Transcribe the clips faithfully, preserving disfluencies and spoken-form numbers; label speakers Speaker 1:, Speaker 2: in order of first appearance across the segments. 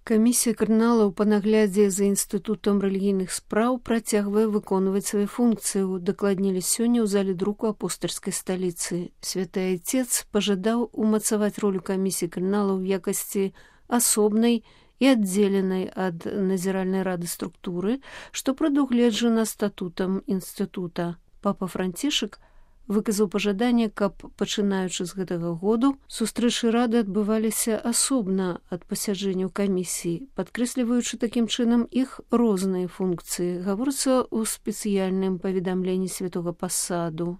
Speaker 1: Камісія кардыналаў па наглядзе за інстытутам рэлігійных спраў працягвае выконваць свае функцыі, удакладнілі сёння ў зале друку апостальскай сталіцы. Святы Айцец пажадаў умацаваць ролю камісіі кардыналаў у якасці асобнай і аддзеленай ад назіральнай рады структуры, што прадугледжана статутам інстытута. Папа Францішак выказаў пажаданне, каб, пачынаючы з гэтага году, сустрэчы рады адбываліся асобна ад пасяджэнняў камісіі, падкрэсліваючы такім чынам іх розныя функцыі, гаворыцца ў спецыяльным паведамленні святога пасаду.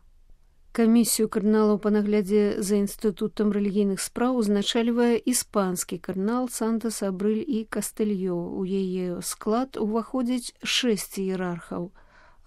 Speaker 1: Камісію кардыналаў па наглядзе за інстытутам рэлігійных спраў узначальвае іспанскі кардынал Сантас Абрыль і Кастэльё. У яе склад уваходзіць шэсць іерархаў.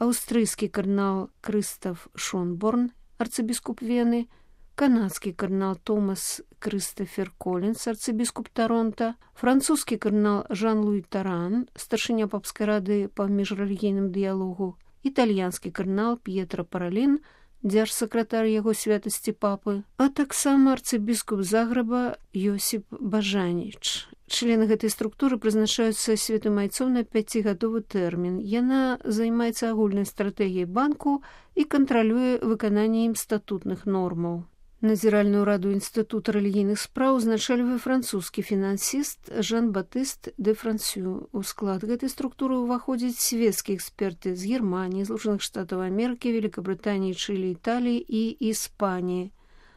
Speaker 1: Аўстрыйскі кардынал Крыстаф Шонборн, арцыбіскуп Вены, канадскі кардынал Томас Крыстафер Колінс, арцыбіскуп Таронта, французскі кардынал Жан-Луі Таран, старшыня папскай рады па міжрэлігійным дыялогу, італьянскі кардынал П'етра Паралін, дзяржсакратар яго святасці папы, а таксама арцыбіскуп Загрэба Йосіп Бажаніч. Члены гэтай структуры прызначаюцца святым айцом на пяцігадовы тэрмін. Яна займаецца агульнай стратэгіяй банку і кантралюе выкананне ім статутных нормаў. Назіральную раду інстытута рэлігійных спраў узначальвае французскі фінансіст Жан-Батыст де Франсю. У склад гэтай структуры ўваходзяць свецкія эксперты з Германіі, Злучаных Штатаў Амерыкі, Великабрытаніі, Чылі, Італіі і Іспаніі.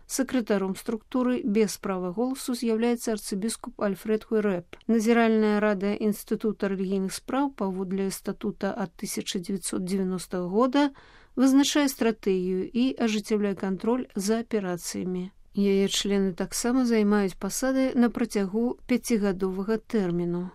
Speaker 1: Сакратаром структуры без права голасу з'яўляецца арцыбіскуп Альфред Хуэрэп. Назіральная рада інстытута рэлігійных спраў паводле статута ад тысяча дзевяцьсот дзевяностага года вызначае стратэгію і ажыццяўляе кантроль за аперацыямі. Яе члены таксама займаюць пасады на працягу пяцігадовага тэрміну.